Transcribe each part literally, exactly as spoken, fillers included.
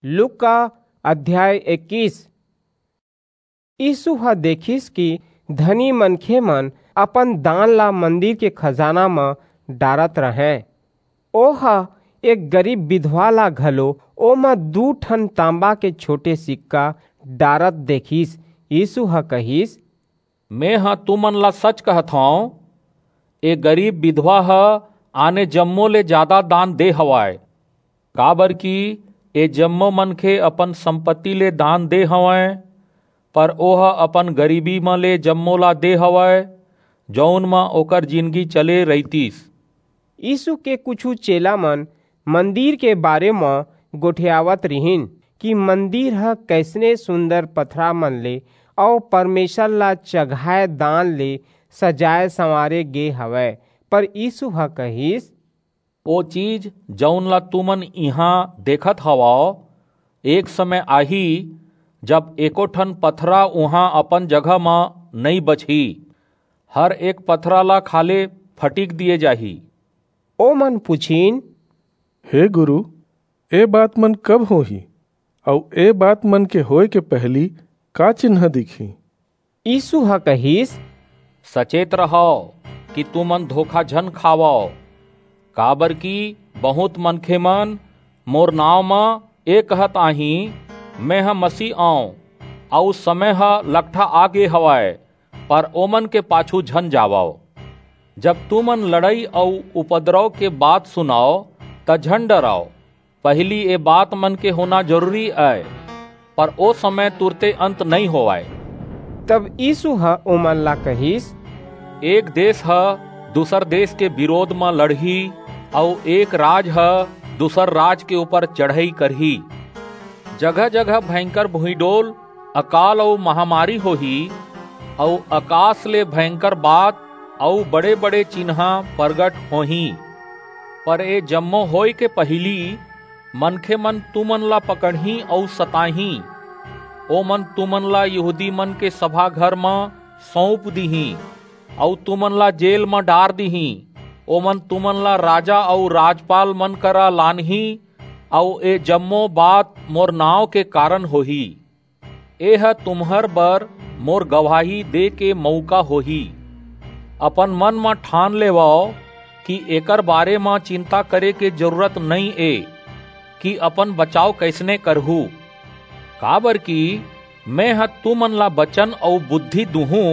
लूका अध्याय इक्कीस। यीसू ह देखिस कि धनी मनखे मन अपन दान ला मंदिर के खजाना म डारत रहंय। ओह एक गरीब बिधवा ला घलो ओमा दू ठन तांबा के छोटे सिक्का डारत देखिस। यीसू ह कहिस, मेंह तुमन ला सच कहथंव, ए गरीब बिधवा ह आने जम्मो ले जादा दान दे हवय, काबरकि ए जम्मो मनखे अपन संपत्ति ले दान दे हवंय, पर ओह अपन गरीबी म ले जम्मो ला दे हवय, जऊन म ओकर जिनगी चले रहितिस। यीसू के कुछू चेला मन मंदिर के बारे म गोठियावत रिहिन कि मंदिर ह कइसने सुंदर पथरा मन ले अऊ परमेसर ला चघाय दान ले सजाय-संवारे गे हवय। पर यीसू ह कहिस, ओ चीज, जऊन ला तुमन इहां देखत हवव, एक समय आही, जब एको ठन पथरा उहां अपन जगह म नइं बचही। हर एक पथरा ला खाल्हे फटिक दिये जाही। ओमन पुछिन, हे गुरू, ए बात मन कब होही, अऊ ए बात मन के होय के पहिली का चिन्ह दिखही? यीसू ह कहिस, सचेत रहव कि तुमन धोखा झन खावव, काबरकि बहुंत मनखे मन मोर नांव म ए कहत आहीं, मेंह मसीह अंव, अऊ समय ह लकठा आ गे हवय, पर ओमन के पाछू झन जावव। जब तुमन लड़ई अऊ उपद्रव के बात सुनव, त झन डरव। पहिली ए बात मन के होना जरूरी अय, पर ओ समय तुरते अंत नइं होवय। तब यीसू ह ओमन ला कहिस, एक देस ह दूसर देस के बिरोध म लड़ही, अऊ एक राज ह दूसर राज के ऊपर चढ़ई करही। जगह-जगह भयंकर भुइंडोल, अकाल अऊ महामारी होही, अऊ अकास ले भयंकर बात अऊ बड़े-बड़े चिन्हां परगट होहीं। पर ए जम्मो होय के पहिली मनखे मन तुमन ला पकड़हीं अऊ सताहीं। ओमन तुमन ला यहूदी मन के सभा घर म सऊंप दिहीं अऊ तुमन ला जेल म डार दिहीं। ओमन तुमन ला राजा अऊ राजपाल मन करा लानहीं, अऊ ए जम्मो बात मोर नांव के कारन होही। एह तुम्हर बर मोर गवाही दे के मऊका होही। अपन मन म ठान लेवव कि एकर बारे म चिंता करे के जरूरत नइं ए कि अपन बचाव कइसने करहू, काबरकि मेंह तुमन ला बचन अऊ बुद्धि दूहूं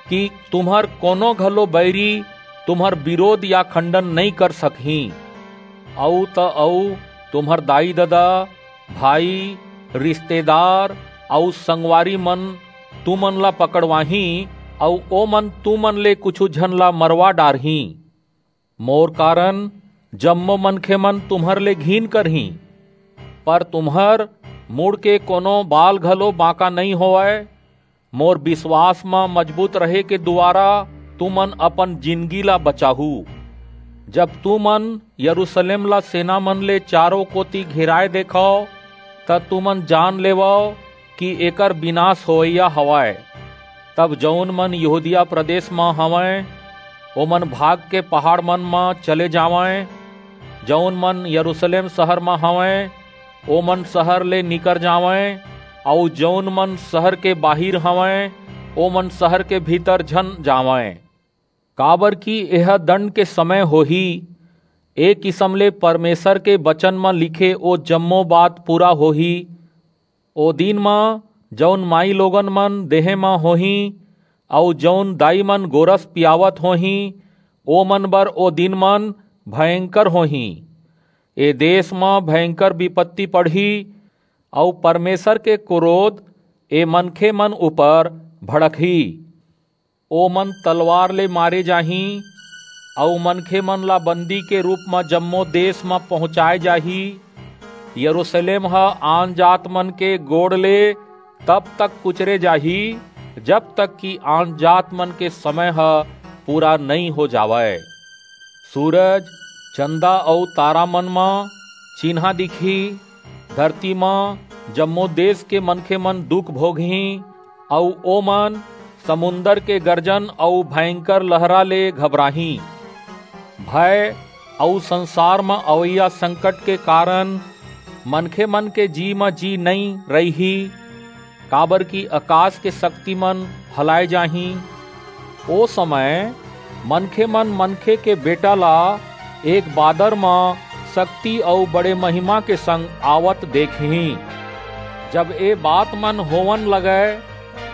कि तुम्हर कोनो घलो बईरी तुम्हर बिरोध या खंडन नइं कर सकहीं। अऊ त अऊ तुम्हर दाई-ददा, भाई, रिस्तेदार अऊ संगवारी मन तुमन ला पकड़वाहीं, अऊ ओमन तुमन ले कुछू झन ला मरवा डारहीं। मोर कारन जम्मो मनखे मन तुम्हर ले घिन करहीं, पर तुम्हर मुड़ के कोनो बाल घलो बांका नइं होवय। मोर बिसवास म मजबूत रहे के दुवारा तुमन अपन जिनगी ला बचाहू। जब तुमन यरूसलेम ला सेना मन ले चारों कोति घेराय देखव, त तुमन जान लेवव कि एकर बिनास होवइया हवय। तब जऊन मन यहूदिया प्रदेस म हवंय, ओमन भाग के पहाड़ मन म चले जावंय। जऊन मन यरूसलेम सहर म हवंय, ओमन सहर ले निकर जावंय, अऊ जऊन मन सहर के बाहिर हवंय, ओमन सहर के भीतर झन जावंय। काबरकि एह दंड के समय होही, ए किसम ले परमेसर के बचन म लिखे ओ जम्मो बात पूरा होही। ओ दिन म जऊन माईलोगन मन देहें म होहीं, अऊ जऊन दाईमन गोरस पियावत होहीं, ओमन बर ओ दिनमन भयंकर होहीं। ए देस म भयंकर बिपत्ति पड़ही, अऊ परमेसर के करोध ए मनखेमन ऊपर भड़कही। ओमन तलवार ले मारे जाहीं, अऊ मनखेमन ला बंदी के रूप म जम्मो देस म पहुंचाय जाही। यरूसलेम ह आनजातमन के गोड़ ले तब तक कुचरे जाही, जब तक कि आनजातमन के समय ह पूरा नइं हो जावय। सूरज, चंदा अऊ तारामन म चिन्हां दिखही। धरती म जम्मो देस के मनखेमन दुख भोगहीं, अऊ ओमन समुंदर के गरजन अऊ भयंकर लहरा ले घबराहीं। भय अऊ संसार म अवइया संकट के कारन मनखे मन के जी म जी नइ रइही, काबर कि अकास के सक्ति मन हलाय जाहीं। ओ समय मनखे मन मनखे के बेटा ला एक बादर म सक्ति अऊ बड़े महिमा के संग आवत देखहीं। जब ए बात मन होवन लगय,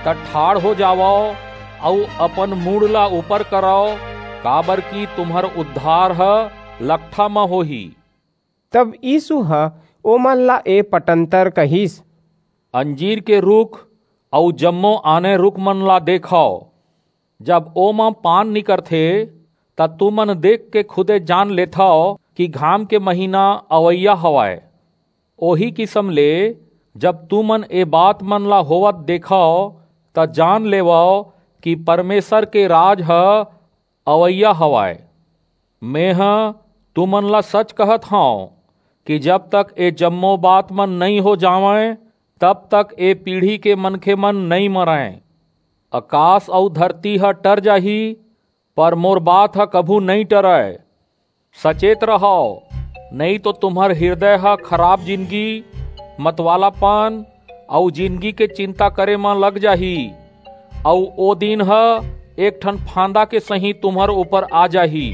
त ठाढ़ हो जावव अऊ अपन मुड़ ला ऊपर करव, काबर कि तुम्हर उद्धार ह लकठा म होही। तब यीसू ह ओमन ला ए पटंतर कहिस, अंजीर के रूख अऊ जम्मो आने रूख मन ला देखव, जब ओमा पान निकरथे, त तुमन देख के खुदे जान लेथव कि घाम के महीना अवइया हवय। ओही किसम ले, जब तुमन ए बात मन ला होवत देखव, त जान लेवव कि परमेसर के राज ह अवइया हवय। मेंह तुमन ला सच कहत हंव कि जब तक ए जम्मो बात मन नइं हो जावंय, तब तक ए पीढ़ी के मनखे मन नइं मरंय। अकास अऊ धरती ह टर जाही, पर मोर बात ह कभू नइं टरय। सचेत रहव, नइं तो तुम्हर हिरदय ह खराप जिनगी, मतवालापन अऊ जिनगी के चिंता करे म लग जाही, अऊ ओ दिन ह एक ठन फांदा के सहीं तुम्हर ऊपर आ जाही।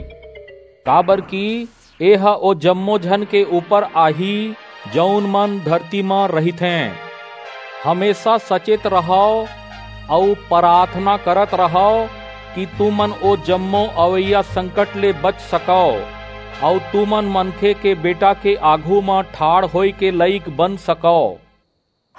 काबरकि एह ओ जम्मो झन के ऊपर आही, जऊन मन धरती म रहिथें। हमेसा सचेत रहव अऊ पराथना करत रहव कि तुमन ओ जम्मो अवइया संकट ले बच सकव अऊ तुमन मनखे के बेटा के आघू म ठाढ़ होय के लइक बन सकव।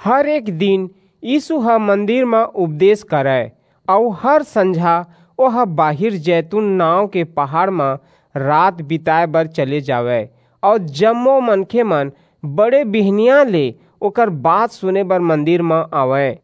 हर एक दिन यीसू ह मंदिर म उपदेस करय, अऊ हर संझा ओह बाहिर जैतून नांव के पहाड़ म रात बिताय बर चले जावय, अऊ जम्मो मनखे मन बड़े बिहनियां ले ओकर बात सुने बर मंदिर म आवंय।